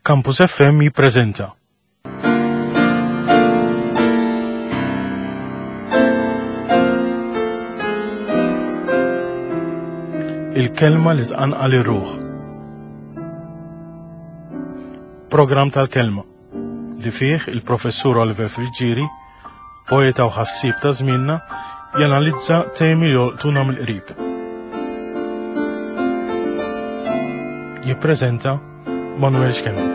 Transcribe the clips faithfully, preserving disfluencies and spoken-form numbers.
Campus F M jippreżenta. Il-kelma li tqanqal ir-ruħ. Programm tal-kelma li fih il-professur Oliver Friggieri, poeta u ħassieb ta' żmienna, janalizza temi li jolqtuna mill-qrib. Jippreżenta Manuel Schembri.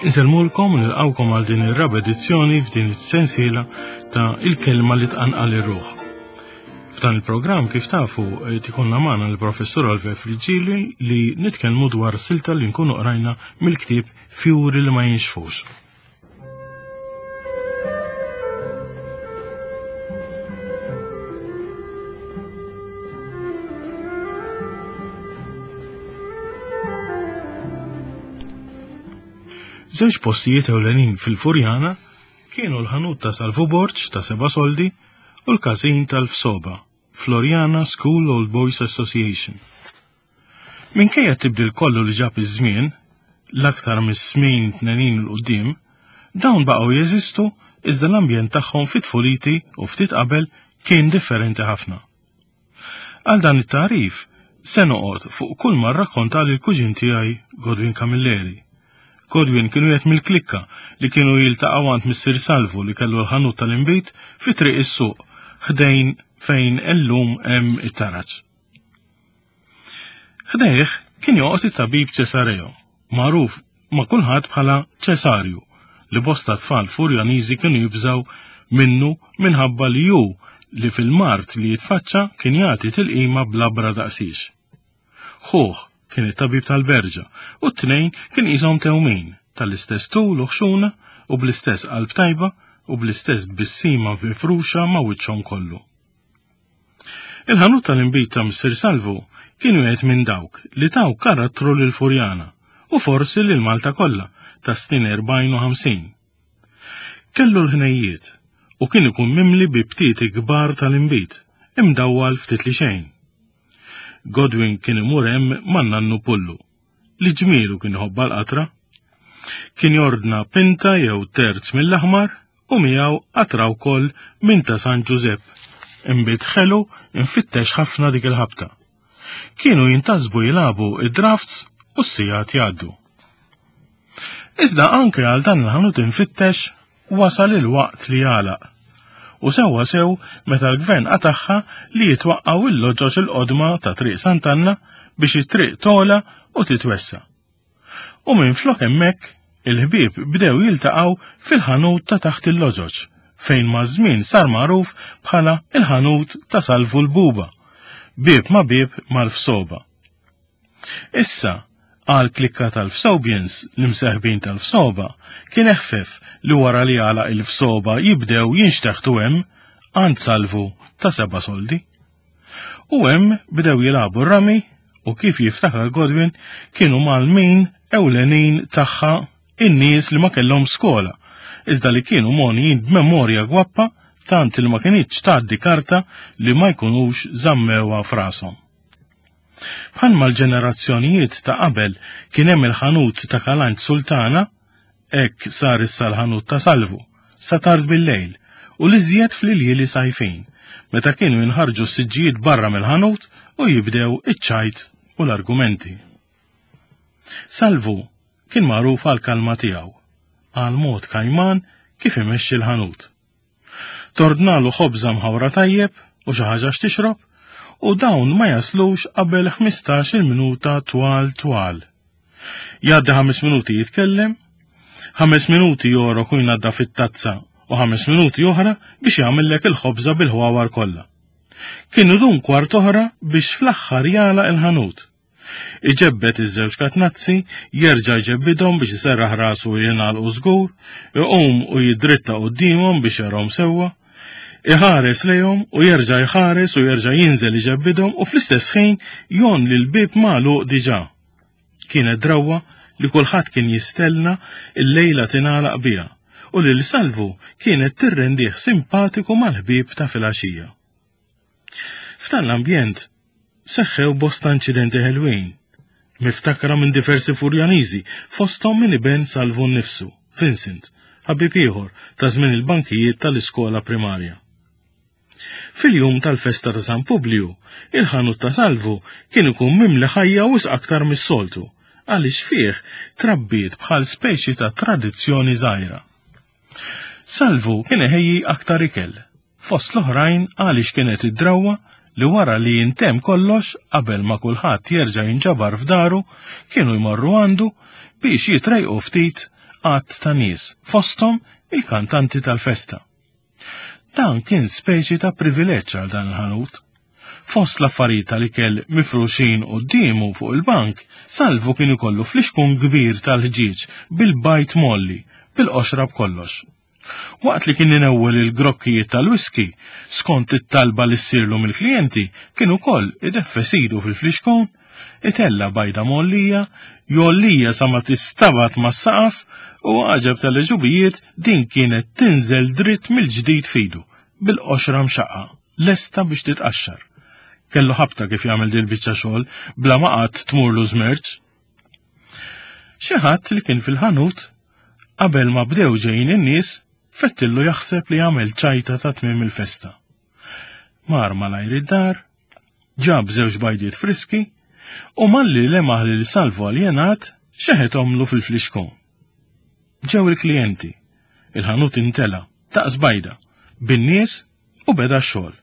Insellmulkom u nilqawkom għal din ir-raba' edizzjoni f'din is-sensiela ta' Il-kelma li tqanqal ir-ruħ. F'dan il-programm, kif tafu, tikonna magħna l-professur Oliver Friggieri li nitkellmu dwar silta li nkunu qrajna mill-ktieb Fjuri li ma jinxfux. Żewġ postijiet ewlenin fil-Furjana kienu l-ħanut ta' Salvu Borg ta' seba' soldi u l-każin tal-Fsoba, Floriana School Old Boys Association. Minkejja tibdil kollu li ġab iż-żmien, l-aktar mis-snin tmenin 'il quddiem, dawn baqgħu jeżistu iżda l-ambjent tagħhom fit-tfuliti u ftit qabel kien differenti ħafna. Għal dan it-tagħrif se noqgħod fuq kull ma rrakkonta lil kuġin tiegħi Godwin Camilleri. Godwin kienu jgħid mill-klikka li kienu jiltaqgħu għand Missier Salvu li kellu l-ħanut tal-inbid fi triq is-suq ħdejn fejn illum hemm it-taraġ. Ħdejh kien joqgħod it-tabib Ċesareo, magħruf ma' kulħadd bħala Ċesarju, li bosta tfal Furjaniżi kienu jibżgħu minnu minħabba li hu li fil-mart li jitfaċċa kien jagħti tilqima bl-abra daqsix. Ħuh kien it-tabib tal-Berġa u t-tnejn kien qishom tewmin tal-istess tul u ħxuna u bl-istess qalb tajba u bl-istess tbissima mifruxa ma' wiċċhom kollu. Il-ħanut tal-inbid ta' Missier Salvu kien wieħed minn dawk li taw karattru lil Furjana u forsi lil Malta kollha ta' snin erbgħin u ħamsin. Kellu l-ħnejjiet u kien ikun mimli bi btieti kbar tal-inbid, imdawwal ftit li xejn. Godwin kien imur hemm ma' nannu Pullu, li ġmielu kien iħobba l-qatra. Kien jordna pinta jew terz mill-aħmar u miegħu qatra wkoll minn ta' San Ġużepp. Inbid ħelu infittex ħafna dik il-ħabta. Kienu jintasbu jilagħbu id-drafts u s-sigħat jgħaddu. Iżda anke għal dan il-ħanut infittex wasal il-waqt li jagħlaq. U sewwa sew meta l-gvern qataħħa li jitwaqqgħu il-loġoġ il-qodma ta' Triq Sant'Anna biex it-triq tola u titwessa. U minn flok hemmhekk il-ħbieb bdew jiltaqgħu fil-ħanut ta' taħt il-loġoġ, fejn maż-żmien sar magħruf bħala il-ħanut ta' Salvu l-Buba, bieb ma' bieb mal-Fsoba. Issa, għal klikka tal-Fsobians, l-imseħbin tal-Fsoba, kien eħfef li wara li għalaq il-Fsoba jibdew jinxteħtu hemm għand Salvu ta' seba' soldi. U hemm bdew jilagħbu r-rami u kif jiftakar Godwin kienu mal-min ewlenin tagħha in-nies li ma kellhom skola, iżda li kienu mogħnijin b'memorja gwappa tant li ma kinitx tgħaddi karta li ma jkunux żammewha f'rashom. Bħalma l-ġenerazzjonijiet ta' qabel kien hemm il-ħanut ta' Kalanġ Sultana, hekk sar issa l-ħanut ta' Salvu, sa tard bil-lejl, u l-iżjed fl-iljieli sajfin, meta kienu jinħarġu s-siġġijiet barra mill-ħanut u jibdew iċ-ċajt u l-argumenti. Salvu kien magħruf għall-kalma tiegħu, għal mod kajman kif imexxi l-ħanut. Tordnalu ħobża mħawra tajjeb u xi ħaġa x'tixrob, u dawn ma jaslux qabel ħmistax-il minuta twal twal. Jgħaddi ħames minuti jitkellem, ħames minuti jorok u jnadda fit-tazza u ħames minuti oħra biex jagħmellek il-ħobża bil-ħwawar kollha. Kien idum kwart oħra biex fl-aħħar jagħlaq il-ħanut. Iġebbed iż-żewġ katnazzi, jerġa' jġebbidhom biex iserraħ rasu u jingħalqu żgur, iqum u jidritta quddiemhom biex jarahom sewwa, iħares lejhom u jerġa' jħares u jerġa' jinżel iġebbidhom u fl-istess ħin jon li l-bieb magħluq diġà. Kienet drawwa li kulħadd kien jistenna l-lejla tingħalaq biha u lil Salvu kienet tirrendih simpatiku mal-ħbieb ta' filgħaxija. F'dan l-ambjent seħħew bosta inċidenti ħelwin, miftakra minn diversi Furjaniżi, fosthom minn iben Salvu nnifsu, Vincent, ħabib ieħor ta' żmien il-bankijiet tal-iskola primarja. Fil-jum tal-festa ta' San Publiju, il-ħanut ta' Salvu kien ikun mimli ħajja wisq aktar mis-soltu, għaliex fih trabbiet bħal speċi ta' tradizzjoni żgħira. Salvu kien iħejji aktar ikel, fost l-oħrajn għaliex kienet id-drawwa li wara li jintemm kollox qabel ma kulħadd jerġa' jinġabar f'daru, kienu jmorru għandu biex jitrejqu ftit għadd ta' nies, fosthom il-kantanti tal-festa. Dan kien speċi ta' privileġġ għal dan il-ħanut. Fost l-affarijiet tal-ikel mifruxin quddiemu fuq il-bank, Salvu kien ikollu flixkun kbir tal-ħġieġ bil-bajt molli, bil-qoxra b'kollox. Waqt li kien inewwel il-grokkijiet tal-whisky, skont it-talba li ssirlu mill-klijenti, kien ukoll ideffes idu fil-flixkun, itella bajda mollija, jollija sa ma tistabat mas-saqaf u għaġeb tal-ġubijiet din kienet tinżel dritt mill-ġdid fidu, bil-qoxra mxaqqa, lesta biex titqaxxar. Kellu ħabta kif jagħmel din biċċa xogħol bla ma qatt tmurlu żmerġ. Xi ħadd li kien fil-ħanut qabel ma bdew ġejjin in-nies, fettillu jaħseb li għamel ċajta ta' tmiem il-festa. Mar malajr id-dar, ġab żewġ bajdiet friski u malli lemaħ lil Salvu aljenat xeħet omlu fil-flixkun. Ġew il-klijenti, il-ħanut intela, daqs bajda, bin-nies u beda x-xogħol.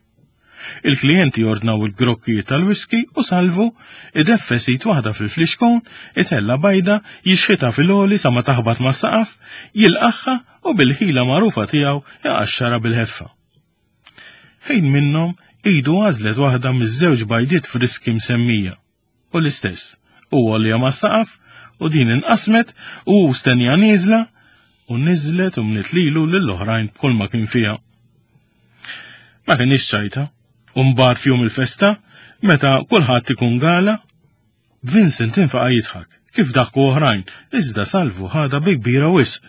Il-klijenti ordnaw il-grokkijiet tal-whisky u Salvu ideffes id waħda fil-flixkun, itella bajda, jixħitha fil-għoli sa ma taħbat mas-saqaf, jilqaħħa u bil-ħila magħrufa tiegħu jaqaxxara bil-ħeffa. Ħin minnhom idu għażlet waħda miż-żewġ bajdiet friski msemmija. U l-istess, u għolja mas-saqaf u din inqasmet u stenja nieżla u niżlet u mliet lilu lill-oħrajn b'kull ma kien fiha. Ma kienx ċajta, u mbagħad f'jum il-festa, meta kulħadd ikun gala, Vincent infaqa' jidħak, kif daħku oħrajn, iżda Salvu ħadha bi kbira wisq.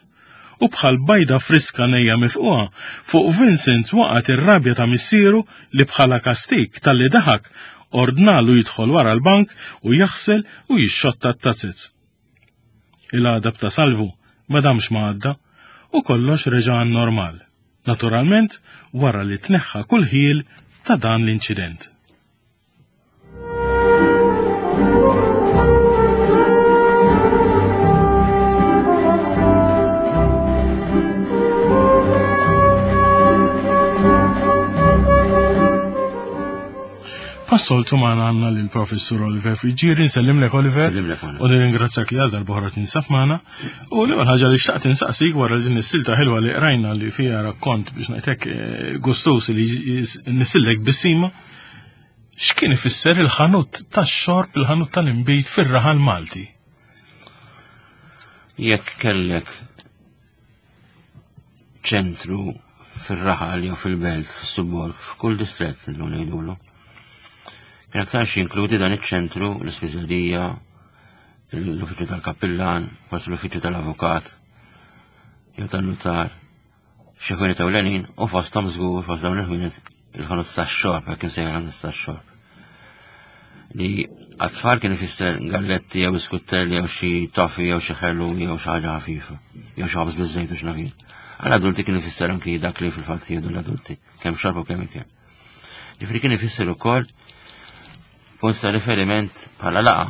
U bħal bajda friska nejja mifquha, fuq Vincent waqgħet ir-rabja ta' missieru li bħala kastik talli daħak ordnalu jidħol wara l-bank u jaħsel u jixxotta t-tazez. Il-għadab ta' Salvu ma damx ma għadda u kollox reġa' għan-normal. Naturalment, wara li tneħħa kull ħiel ta' dan l-inċident. Passoltu magħna għandna lill-Professur Oliver Friggieri, nsellimlek Oliver. Nsellimlek magħna. U nirringrazzjak li għal darb'oħra tinsab magħna. U l-ewwel ħaġa li xtaqt insaqsik wara din is-silta ħelwa li qrajna li fiha rakkont biex ngħidlek eh, gustus li nisillek bissima, x'kien ifisser il-ħanut tax-xorb, il-ħanut tal-inbid fir-raħal Malti? Jekk kellek ċentru fir-raħal jew fil-belt, fis-subborg, f'kull distrett illum ngħidulu. Kien aktarx jinkludi dan iċ-ċentru, l-ispiżerija, l-uffiċċju tal-kappillan, forsi l-uffiċċju tal-avukat, jew tan-nutar, xi ħwienet ewlenin u fosthom żgur fost dawn il-ħwienet il-ħanut tax-xorb, hekk imsejjaħ il-ħanut tax-xorb. Li għat-tfal kien ifisser galletti jew biskuttelli jew xi toffi jew xi ħelu jew xi ħaġa ħafifa, jew xi ħobż biż-żejt u x'naf jien. Għall-adulti kien ifisser anki dak li fil-fatt jieħdu l-adulti, kemm xorb u kemm ikel. Ġifieri kien ifisser ukoll punt ta' riferiment bħala laqa.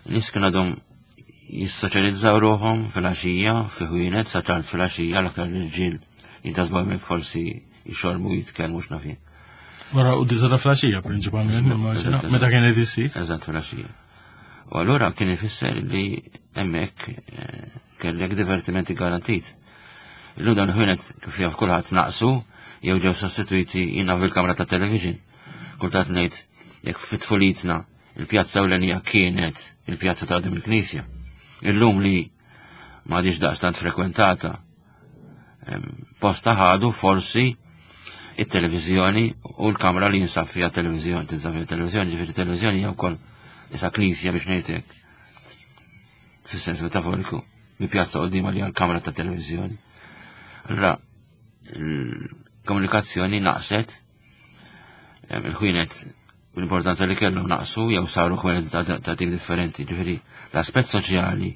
Nies kienu għadhom jissoċjalizzaw ruħhom fil-għaxija, fi ħwienet, sa tard fil-għaxija, l-aktar l-irġiel jintasbu hemmhekk forsi jixorbu jitkellmu x'naf jien. Wara u disa ta' fil-għaxija prinċipalment, immaġina, Eżatt, meta kienet issir. Eżatt fil-għaxija. U allura kien ifisser li hemmhekk, eh, kellek divertimenti garantit. Illum dawn il-ħwienet kif jaf kulħadd naqsu jew ġew sostituiti jiena fil-kamra ta' television. Kultant ngħid jekk fit-tfulitna il-pjazza ewlenija kienet il-pjazza ta' qudiem il-Knisja. Illum li m'għadix daqstant frekwentata, em, posta ħadu forsi it-televiżjoni u l-kamra li jinsab fiha televiżjoni, tinsab fiha televiżjoni, ġifieri televiżjoni hija wkoll isa knisja biex ngħidlek. Fis-sens metaforiku, mi pjazza qudiema li hija l-kamra ta' televiżjoni. Allura l-komunikazzjoni naqset, Il-ħwienet l-importanza li kellhom naqsu jew saru ħwienet ta' tip differenti. Ġifieri l-aspett soċjali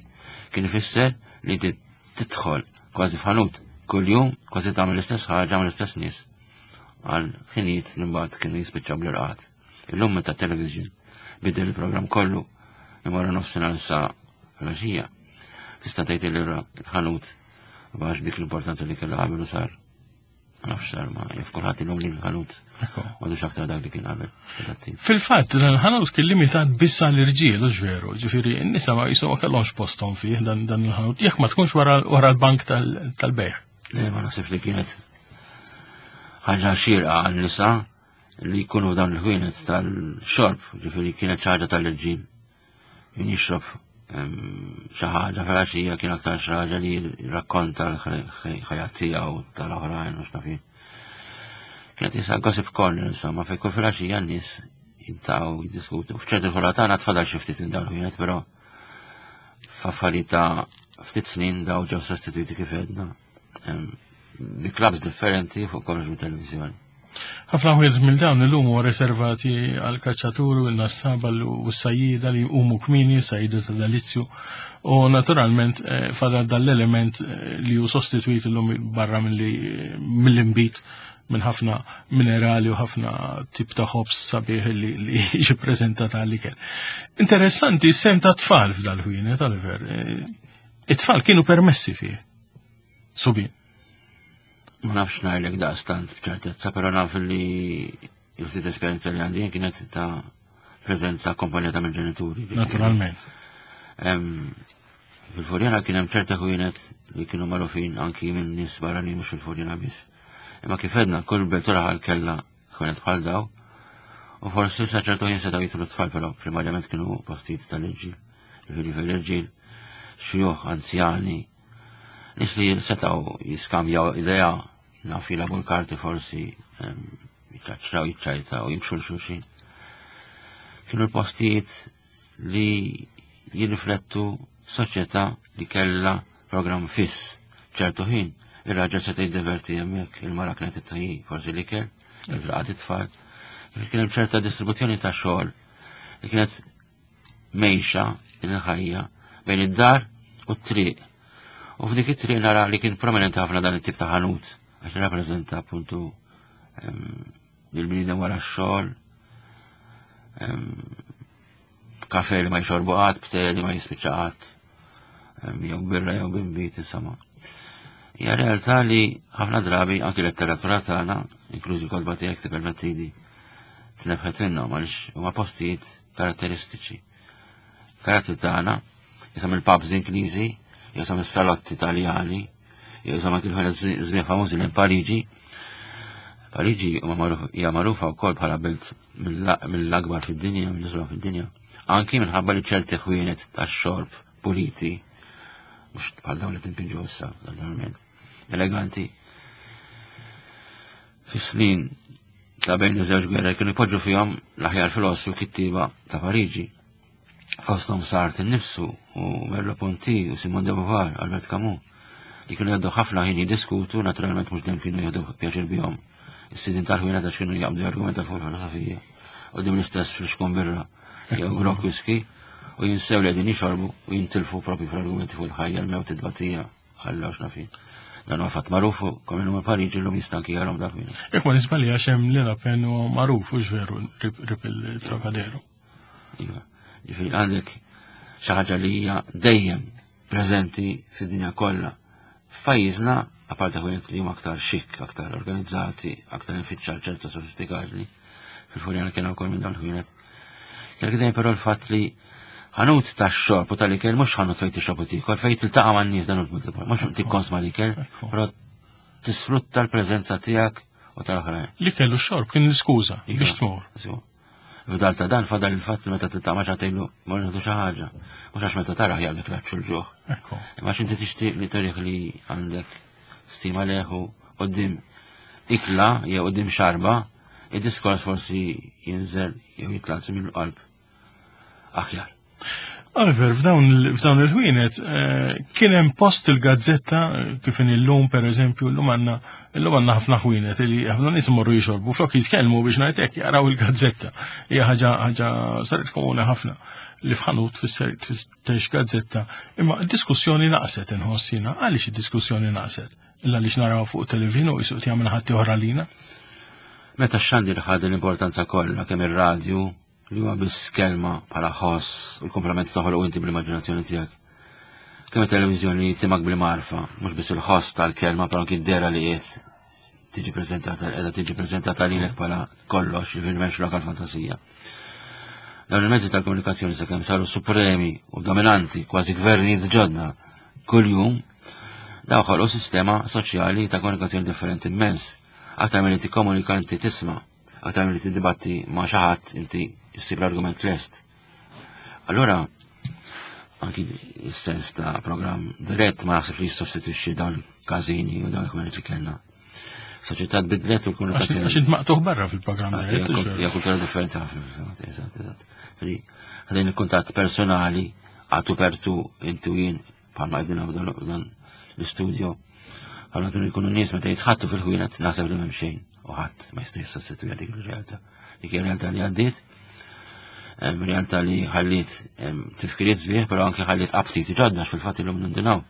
kien ifisser li inti tidħol kważi f'ħanut kuljum, kważi tagħmel l-istess ħaġa mal l-istess nies għal ħinijiet li mbagħad kienu jispiċċaw bl-irqad. Illum meta television bidel il-programm kollu imorru nofsinhar sa filgħaxija. Tista' tgħid li l-ħanut b'għax dik l-importanza li kellu qabel u sar. Ma nafx sar ma jaf kulħadd illum li l-ħanut m'għadux aktar dak li kien qabel. Fil-fatt dan il-ħanut kien limitat biss għall-irġiel, u veru, ġifieri n-nisa ma jisu ma kellhomx posthom fih dan dan il-ħanut, jekk ma tkunx wara l-bank tal-bejgħ. Le, ma naħsibx li kienet ħaġa xierqa għan-nisa li jkunu f'dawn il-ħwienet tal-xorb, ġifieri kienet xi ħaġa tal-irġiel. Min jixrob xi ħaġa filgħaxija kien aktar xi ħaġa li jirrakkonta l-ħajja tiegħu tal-oħrajn u x'naf jien. Kienet jisa gossip corner insomma fejn kull filgħaxija n-nies jiltaqgħu jiddiskutu. F'ċerti ħura tagħna tfadal xi ftit minn dawn il-ħwienet, però f'affarijiet ta' ftit snin daw ġew sostituiti kif għedna bi clubs differenti fuq kollox bit-televiżjoni. Ħafna ħwienet minn dawn illum huwa reservati għal kaċċaturi u l-nassaba u s-sajjida li jqumu kmieni, sajjida ta' delizzju, u naturalment eh, fadal dal-element eh, li hu sostitwit illum barra mill-inbid minn ħafna minerali u ħafna tip ta' ħobż sabiħ li li jiġi preżentat għall-ikel. Interessanti s-sehem ta' tfal f'dal-ħwienet, Oliver. Eh, it-tfal kienu permessi fih. Subien. Ma nafx ngħidlek daqstant b'ċertezza, però naf li il-ftit esperjenza li għandi kienet ta' preżenza akkompanjata mill ġenituri. Naturalment. Fil-Furjana kien hemm ċerta ħwienet li kienu magħrufin anki minn nies barranin mhux fil-Furjana biss. Imma kif għedna, kull belt u raħal kellha ħwienet bħal daw. U forsi sa ċertu ħin setgħu jidħlu tfal, però primarjament kienu postijiet tal-irġiel. Ġifieri fil-irġiel, xjuħ, anzjani, nies li setgħu jiskambjaw idea, naf jilagħbu l-karti forsi, jiċċaċċraw, jiċċajtaw, jimxu l-xulxin. Kienu l-postijiet li jirriflettu soċjetà li kellha programm fiss. ċertu ħin, ir-raġel seta' jiddeverti hemmhekk, il-mara kienet ittejji forsi l-ikel, il-raqad it-tfal. Kien hemm ċerta distribuzzjoni ta' xogħol li kienet mejxa din il-ħajja bejn id-dar u t-triq. U f'dik it-triq nara li kien prominenti ħafna dan it-tip ta' ħanut, għax rappreżenta appuntu il-bniedem wara x-xogħol, kafe li ma jxorbu qatt, bte li ma jispiċċa qatt, jew birra jew b'imbit, insomma. Hija realtà li ħafna drabi anki letteratura tagħna, inklużi l-kotba tiegħek tippermettili, tnebħet minnhom għaliex huma postijiet karatteristiċi. Karattri tagħna, jisom il-pubs Ingliżi, jisom is-salotti Taljani, jisom anki l-ħwienet żmien famużi minn Pariġi. Pariġi hija magħrufa wkoll bħala belt mill-akbar fid-dinja, mill-isbaħ fid-dinja. Anki minħabba li ċerti ħwienet tax-xorb puliti, mhux bħal dawn li timpinġu issa, naturalment, eleganti. Fis-snin ta' bejn iż-żewġ gwerra kienu jpoġġu fihom l-aħjar filosfi u kittieba ta' Pariġi. Fosthom Sartre innifsu u Merleau-Ponty u Simone de Beauvoir, Albert Camus, li kienu jgħaddu ħafna ħin jiddiskutu, naturalment mhux dejjem kienu jieħdu pjaċir bihom. Is-sidien tal-ħwienet għax kienu jaqbdu jargumenta fuq il-filosofija. U dim l-istess fl-xkun birra jew grok whisky u jinsew li qegħdin jixorbu u jintilfu propju fl-argumenti fuq il-ħajja, l-mewt, id-dbatija, Alla u x'naf jien. Dan huwa fatt magħruf u kemm illum Pariġi llum jista' anki jarahom dal-ħwienet. Jekk ma nisballi għax hemm Le Lapin huwa magħruf u veru rib il-Trocadero. Iva, ġifieri għandek xi ħaġa li hija dejjem preżenti fid-dinja kollha. F'pajjiżna, apparti ħwienet li huma aktar xik, aktar organizzati, aktar infittxa ċerta sofistikati, fil-Furjana kien ukoll minn dawn il-ħwienet. Kellek dejjem però l-fatt li ħanut ta' xorb u tal-ikel mhux ħanut fejn tixrob u tiekol, fejn tiltaqa' man-nies dan il-punt, mhux tikkonsma l-ikel, però tisfrutta l-preżenza tiegħek u tal-oħrajn. L-ikel u x-xorb kien l-iskuża biex tmur. F'dal ta' dan fadal il-fatt li meta tiltaqa' ma' xi ħadd tgħidlu mor nieħdu xi ħaġa. Mhux għax meta taraħ jaqbdek l-għatx u l-ġuħ. Imma għax inti tixtieq li turih li għandek stima lejh u quddiem ikla jew quddiem xarba, id-diskors forsi jinżel jew jitla' mill-qalb aħjar. Oliver, f'dawn il-ħwienet kien hemm post il-gazzetta kif in illum pereżempju, illum għandna illum għandna ħafna ħwienet li ħafna nies imorru jixorbu flok jitkellmu biex ngħid hekk jaraw il-gazzetta. Hija ħaġa ħaġa saret komuni ħafna li f'ħanut tfittex gazzetta. Imma d-diskussjoni naqset inħoss jiena. Għaliex id-diskussjoni naqset? Illa għaliex naraw fuq television u jisuq jagħmel ħadd oħra lina? Meta x-xandir ħad l-importanza kollha kemm ir-radju li huwa biss kelma bħala ħoss u l-komplement toħloq inti bl-immaġinazzjoni tiegħek. Kemm it-televiżjoni timak bil-marfa, mhux biss il-ħoss tal-kelma però anki d-dera li qiegħed tiġi preżentata, qiegħda tiġi preżentata lilek bħala kollox, jiġifieri m'hemmx lokal fantasija. Dawn il-mezzi tal-komunikazzjoni sakemm saru supremi u dominanti, kważi gvernijiet ġodda kuljum, daw ħolqu sistema soċjali ta' komunikazzjoni differenti immens. Aktar milli tikkomunika inti tisma', aktar milli tiddibatti ma' xi ħadd inti issib l-argument lest. Allora, anki s-sens ta' programm dirett ma naħseb li jissostitwixxi dawn il-każini u dawn il-kumenti li kellna. Soċjetà tbidlet u l-komunikazzjoni. Għax int maqtuħ barra fil-programm dirett. Hija kultura differenti ħafna, eżatt, eżatt. Ħadejn il-kuntatt personali, għatu pertu inti u jien bħalma qegħdin dan l-istudio. Bħalma kienu jkunu nies meta jitħattu fil-ħwienet naħseb li m'hemm xejn u ħadd ma jista' jissostitwija dik ir-realtà. Dik ir-realtà li għaddiet, realtà li ħalliet tifkiriet sbieħ, però anke ħalliet aptiti ġodda fil-fatt illum nindinaw.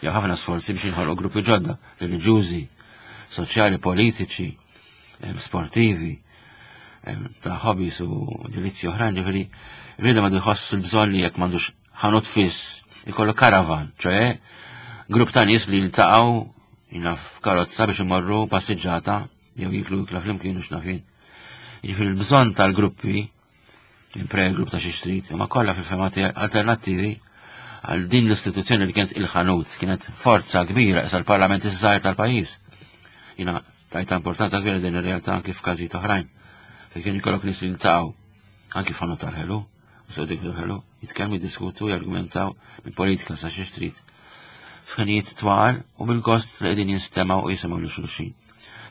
Jew ħafna sforzi biex jinħolqu gruppi ġodda, reliġjużi, soċjali, politiċi, sportivi, ta' hobbies u delizzji oħrajn, ġifieri rridu ma jħoss il-bżonn li jekk m'għandux ħanut fiss, ikollu karavan, ċoe grupp ta' nies li jiltaqgħu jina f'karozza biex imorru passiġġata jew jiklu ikla flimkien u x'nafin. Jiġifieri l-bżonn tal-gruppi, il-prayer group ta' xi street, imma kollha fil-fema tiegħi alternattivi għal din l-istituzzjoni li kienet il-ħanut, kienet forza kbira issa l-parlament iż-żgħir tal-pajjiż. Jiena tajta importanza kbira din ir-realtà anki f'każijiet oħrajn. Fejn kien ikollok nies li jiltaqgħu anki f'ħanut tal-ħelu, u sew dik il-ħelu, jitkellmu, jiddiskutu, jargumentaw minn politika sa xi street. F'ħinijiet twal u bil-gost li qegħdin jinstemgħu u jisimgħu lil xulxin.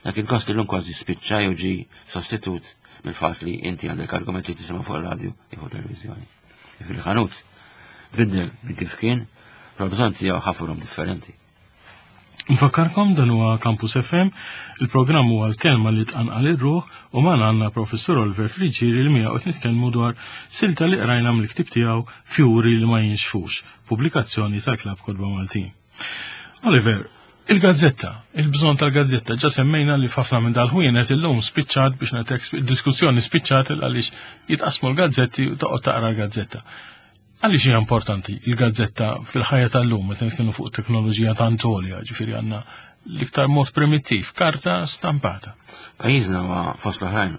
Dak il-gost illum kważi spiċċa jew ġi sostitut mill-fatt li inti għandek argument li tisimgħu fuq ir-radju jew fuq televizjoni. Fil-ħanut tbiddel minn kif kien, però bżonn tiegħu ħafurhom differenti. Nfakkarkom dan huwa Campus F M, il-programm huwa l-kelma li tqanqal ir-ruħ u magħna għandna Professur Oliver Friggieri li miegħu qed nitkellmu dwar silta li qrajna mill-ktieb tiegħu Fjuri li ma jinxfux, pubblikazzjoni tal-Klabb Kotba Maltin. Oliver, il-gazzetta, il-bżonn tal-gazzetta, ġa semmejna li f'ħafna minn dal-ħwienet illum spiċċat biex ngħidlek diskussjoni spiċċat għaliex jitqasmu l-gazzetti u toqgħod taqra l-gazzetta. Għaliex hija importanti il-gazzetta fil-ħajja tal-lum meta nitkellmu fuq teknoloġija tant għolja, ġifieri għandna l-iktar mod primittiv, karta stampata. Pajjiżna huwa fost l-oħrajn,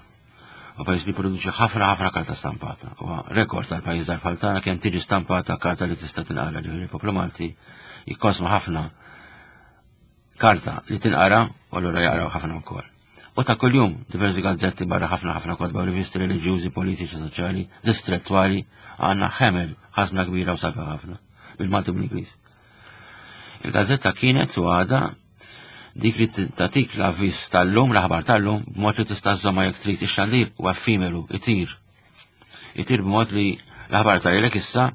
huwa pajjiż li jipproduċi ħafna ħafna karta stampata. Huwa rekord tal-pajjiż bħal tagħna kemm tiġi stampata karta li tista' tinqara, ġifieri l-poplu Malti jikkonsma ħafna karta li tinqara u allura jaqraw ħafna wkoll. U ta' kuljum diversi gazzetti barra ħafna ħafna kotba u rivisti reliġjużi, politiċi, soċjali, distrettwali, għandna ħemel ħażna kbira u sabiħa ħafna bil-Malti u bl-Ingliż. Il-gazzetta kienet u għadha dik li tagħtik l-avviż tal-lum, l-aħbar tal-lum, b'mod li tista' żżommha jekk trid. Ix-xandir huwa effimeru, itir. Itir b'mod li l-aħbar tal-lek issa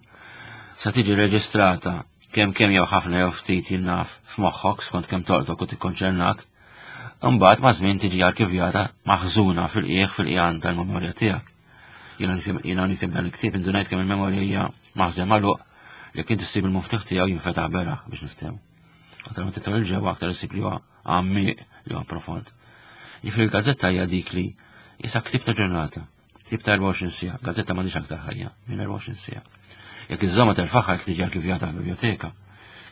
sa tiġi reġistrata kemm kemm jew ħafna jew ftit jinnaf f'moħħok skont kemm tolqtok u tikkonċernak. Imbagħad ma' żmien tiġi arkivjata maħżuna fil-qiegħ fil-qiegħan tal-memorja tiegħek. Jiena nikteb, jiena nikteb dan il-ktieb indunajt kemm il-memorja hija maħżen magħluq jekk inti ssib il-muftiħ tiegħu jinfetaħ beraħ biex niftehmu. Aktar ma tidħol il-ġewwa aktar issib li huwa għammiq li huwa profond. Jiġifieri l-gazzetta hija dik li issa ktieb ta' ġurnata, ktieb ta' erbgħa u għoxrin siegħa, gazzetta m'għandix aktar ħajja minn erbgħa u għoxrin siegħa. Jekk iżżomma terfaħħa jekk tiġi arkivjata f'biblioteka.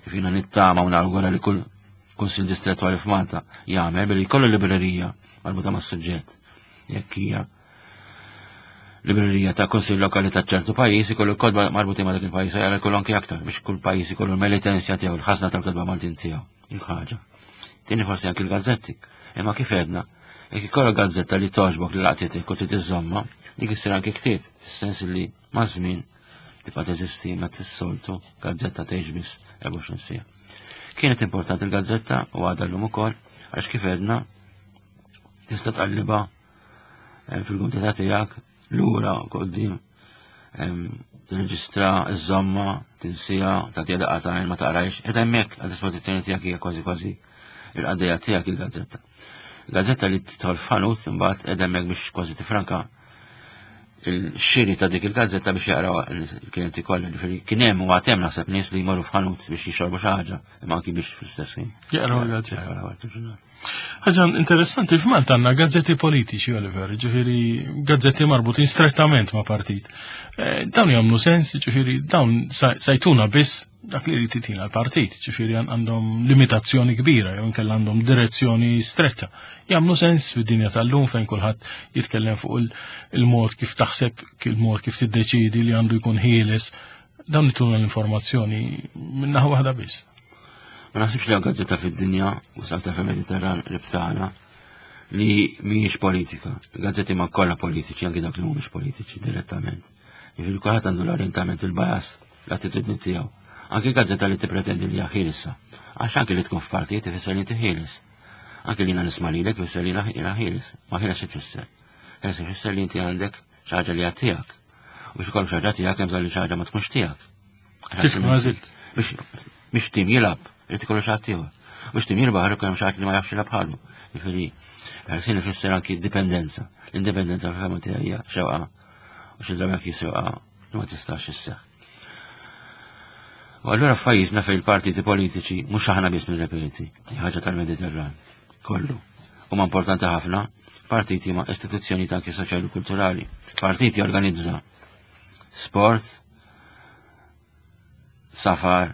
Kif jiena nittama u nawgura li kull kunsill distrettwali f'Malta jagħmel billi jkollu librerija marbuta mas-suġġett. Jekk hija librerija ta' kunsill lokali ta' ċertu pajjiż ikollu kotba marbutin ma' dak il-pajjiż, jagħmel kollu anke aktar biex kull pajjiż ikollu l-melitensja tiegħu, il-ħażna tal-kotba Maltin tiegħu. Dik ħaġa. Tieni forsi anke l-gazzetti. Imma kif għedna, jekk ikollok gazzetta li togħġbok li laqtitek u trid iżżommha, dik issir anke ktieb, fis-sens li maż-żmien tibqa' teżisti ma tissoltu gazzetta tgħix biss erbgħa u għoxrin siegħa. Kienet importanti l-gazzetta u għadha llum ukoll għax kif għedna tista' tqallibha, eh, fil-kuntità tiegħek lura quddiem, ehm, Tirreġistra, iżżommha, tinsieha, tagħtiha daqqa t'għajn, ma taqrajx, qed hemmhekk għad dispożizzjoni tiegħek, hija kważi kważi il-qaddejja tiegħek il-gazzetta. Il-gazzetta li tidħol f'ħanut imbagħad qed hemmhekk biex kważi tifranka il-xiri ta' dik il-gazzetta biex jaqraw il-klienti kollha. Ġifieri kien hemm u għad hemm, naħseb, nies li jmorru f'ħanut biex jixorbu xi ħaġa, imma anki biex fl-istess ħin. Jaqraw il-gazzetta. Jaqraw il-ġurnal. Ħaġa interessanti, f'Malta għandna gazzetti politiċi, Oliver, ġifieri gazzetti marbutin strettament ma' partit. Eh, dawn jagħmlu sens, ġifieri dawn sajtuna biss dak li jrid jitina l-partit, ġifieri għandhom limitazzjoni kbira, jew inkella għandhom direzzjoni stretta. Jagħmlu sens fid-dinja tal-lum fejn kulħadd jitkellem fuq il-mod kif taħseb, il-mod kif tiddeċidi li għandu jkun ħieles? Dawn ituna l-informazzjoni minn naħa waħda biss. Ma naħsibx li gazzetta fid-dinja u salta fil-Mediterran ribtana li mhijiex politika. Gazzetti ma kollha politiċi, anki dak li mhumiex politiċi direttament. Jiġifieri kulħadd għandu l-orientament, il-bias, l-attitudni tiegħu. Anki gazzetta li tippretendi li hija ħielsa. Għax anki li tkun f'partit ifisser li inti ħieles. Anki li jiena nisma' lilek ifisser li jiena ħieles. Ma ħieles xi tfisser? Ħieles ifisser li inti għandek xi ħaġa li hija tiegħek. U biex ikollok xi ħaġa tiegħek, hemm bżonn li xi ħaġa ma tkunx tiegħek. Kif għażilt? Biex tim jilgħab, irid ikollu xi ħadd ieħor. Biex tim jirbaħ irid ikollu xi ħadd li ma jafx jilgħab bħalu. Jiġifieri ħelsin ifisser anki dipendenza. L-indipendenza fil-fehma tiegħi hija xewqa u xi drabi anki xewqa li ma tistax isseħħ. U allura f'pajjiżna fejn il-partiti politiċi, mhux aħna biss nirrepeti, ħaġa tal-Mediterran kollu. Huma importanti ħafna, partiti ma' istituzzjoni anki soċjali u kulturali. Partiti organizza sport, safar,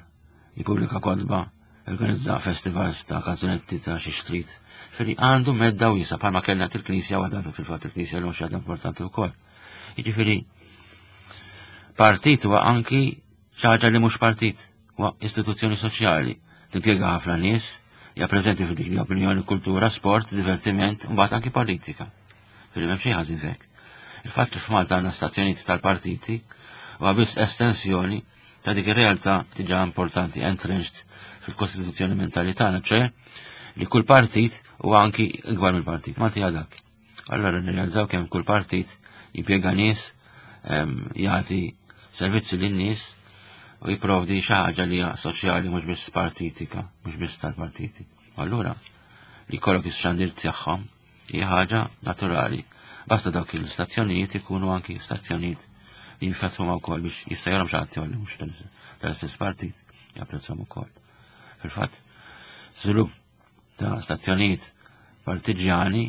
jippubblika kotba, organizza festivals ta' kanzunetti, ta' xi xtrid. Ġifieri għandu medda wiesgħa, bħalma kellna il-Knisja u għadantu fil-fatt il-Knisja l xi importanti wkoll. Jiġifieri partit huwa anki xi ħaġa li mhux partit, huwa istituzzjoni soċjali, timpjega ħafna nies, hija preżenti fil dik li opinjoni, kultura, sport, divertiment, u mbagħad anki politika. Ġifieri m'hemm xejn ħażin fek. Il-fatt li f'Malta għandna stazzjonijiet tal-partiti huwa biss estensjoni ta' dik ir-realtà diġà importanti, entrenched fil-kostituzzjoni mentali tagħna, ċe li kull partit huwa anki ikbar mill-partit. Malti dak. Allora nirrealizzaw kemm kull partit jimpjega nies, jagħti servizzi lin-nies u jipprovdi xi ħaġa li hija soċjali, mhux biss partitika, mhux biss tal-partiti. Allura li jkollok ix-xandir tagħhom hija ħaġa naturali. Basta dawk il-stazzjonijiet ikunu anki stazzjonijiet li jinfetħu ma wkoll biex jista' jarahom xi ħadd li mhux tal-istess partit, japprezzahom ukoll. Fil-fatt, żvilupp ta' stazzjonijiet partiġjani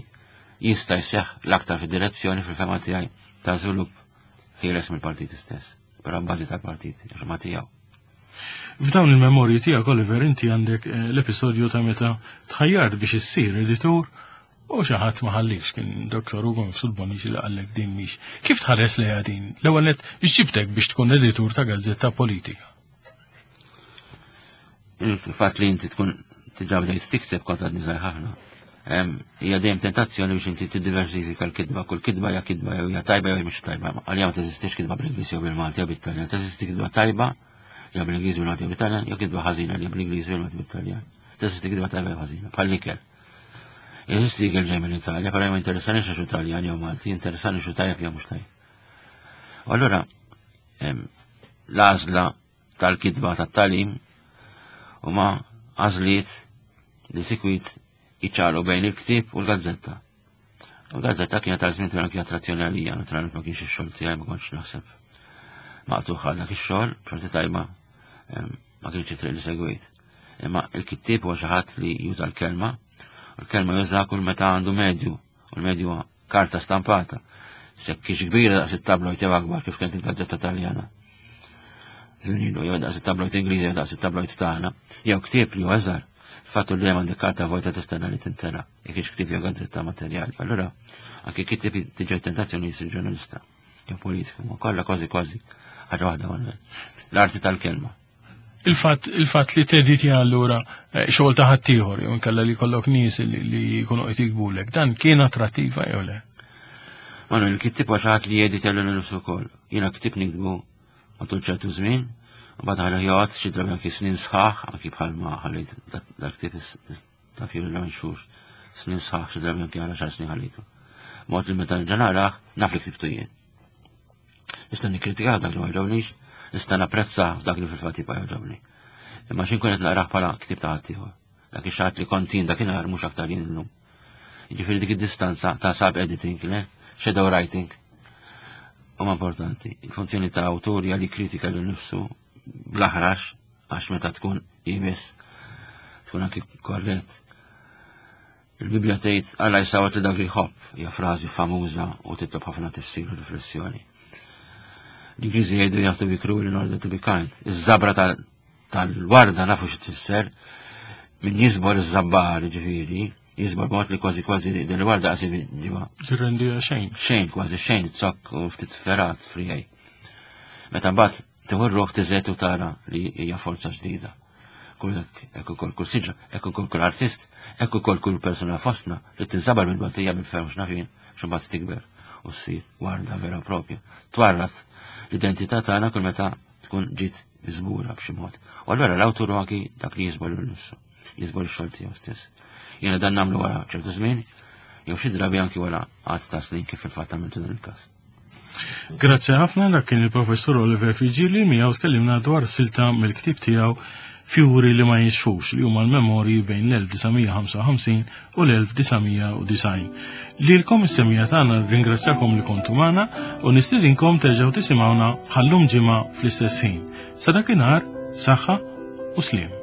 jista' jseħħ l-aktar fid-direzzjoni, fil-fehma tiegħi, ta' żvilupp ħieles mill-partiti stess, però bażi tal-partiti, għax ma tiegħu. F'dawn il-memorji tiegħek, Oliver, inti għandek eh, l-episodju ta' meta tħajjart biex issir editur u xi ħadd ma ħallix, kien Doktor Ugo Mifsud Bonnici li qallek din mhix. Kif tħares lejha din? L-ewwel nett, x'ġibtek biex tkun editur ta' gazzetta politika? Il-fatt li inti tkun diġà bdejt tikteb, kont għadni żgħir ħafna. Hija dejjem tentazzjoni biex inti tiddiversifika l-kitba, kull kitba hija kitba, jew hija tajba jew mhix tajba. Għalija ma teżistix kitba bl-Ingliż jew bil-Malti jew bit-Taljan, teżisti kitba tajba jew bl-Ingliż, bil-Malti jew bit-Taljan, jew kitba ħażina li bl-Ingliż, bil-Malti, bit-Taljan. Teżisti kitba tajba jew ħażina, bħal ikel. Jeżisti ikel ġej mill-Italja, però ma interessani xi Taljan jew Malti, interessani xi tajjeb jew mhux tajjeb. U allura l-għażla tal-kitba tat-tagħlim huma għażliet li sikwit iċċalu bejn il-ktieb u l-gazzetta. U l-gazzetta kienet għal żmien kien attrazzjoni għalija, naturalment ma kienx ix-xogħol tiegħi, ma kontx naħseb maqtuħ għal dak ix-xogħol, b'xorti tajba ma kienx it-triq li segwejt. Imma il-kittieb huwa xi ħadd li juża l-kelma, u l-kelma juża kull meta għandu medju, u l-medju huwa karta stampata. Sekk kienx kbira daqs it-tabloid jew akbar kif kienet il-gazzetta Taljana. Żmien jew daqs it-tabloid Ingliż jew daqs it-tabloid tagħna, jew ktieb li huwa żgħar. Fattu li għandek karta vojta tistenna li tintela, jekk hix ktieb jew gazzetta materjali. Allura, anke kittieb tiġi tentazzjoni jsir ġurnalista jew politiku, ma kollha kważi kważi ħaġa waħda, Manuel. L-arti tal-kelma. Il-fatt il-fatt li tediti allura eh, xogħol ta' ħaddieħor jew inkella li jkollok nies li li jkunu qed jiktbulek, dan kien attrattiva jew le? Manuel, il-kittieb huwa xi ħadd li jedita lilu nnifsu wkoll. Jiena ktieb niktbu matul ċertu żmien, u mbagħad ħalli joqgħod xi drabi anki snin sħaħ, anki bħalma ħallejt dak ktieb ta' Fury Launch xhur, snin sħaħ, xi drabi anki għal xar snin ħallejtu. Mod li meta nerġa' narah, naf li ktibtu jien. Nista' nikkritika dak li ma jogħġobnix, nista' napprezza f'dak li fil-fatt jibqa' jogħġobni. Imma xi nkun qed naqrah bħala ktieb ta' ħaddieħor. Dak ix-xi ħadd li kont jien dakinhar mhux aktar jien illum. Jiġifieri dik id-distanza ta' sub-editing, le? Shadow writing. Huma importanti. Il-funzjoni ta' awtur hija li kritika lil nifsu bl-aħrax, għax meta tkun iebes tkun anki korrett. Il-Bibja tgħid Alla jsawwat li dak li jħobb, hija frażi famuża u titlob ħafna tifsir u riflessjoni. L-Ingliżi jgħidu "You have to be cruel in order to be kind." Iż-żabra tal-warda nafu xi tfisser, min jiżbor iż-żabbar, ġifieri, jiżbor mod li kważi kważi din il-warda qasi ġiba. Tirrendija xejn. Xejn, kważi xejn, zokk u ftit fergħat frijaj. Meta mbagħad tieħu r-ruħ tiżgħet u tara li hija forza ġdida. Kull hekk ukoll kull siġra, hekk ukoll kull artist, hekk ukoll kull persuna fostna li tinżabar minn batija minn ferm x'nafin, x'imbagħad tikber u ssir warda vera propja. Twarrat l-identità tagħna kull meta tkun ġiet miżbura b'xi mod. U allura l-awtur anki dak li jiżbor lil nifsu, jiżbor ix-xogħol tiegħu stess. Jiena dan nagħmlu wara ċertu żmien, jew xi drabi anki wara għadd ta' snin, kif fil-fatt għamiltu dan il-każ. Grazzi ħafna. Dak kien il-Professur Oliver Friggieri, miegħu tkellimna dwar silta mill-ktib tiegħu Fjuri li ma jinxfux, li huma l-memorji bejn l-elf disa' mija ħamsa u ħamsin u l-elf disa' mija u disgħin. Lilkom is-semmiegħa tagħna ringrazzjakom li kontu magħna u nistidinkom terġgħu tisimgħuna bħallum ġimgħa fl-istess ħin. Sa dakinhar, saħħa u sliem.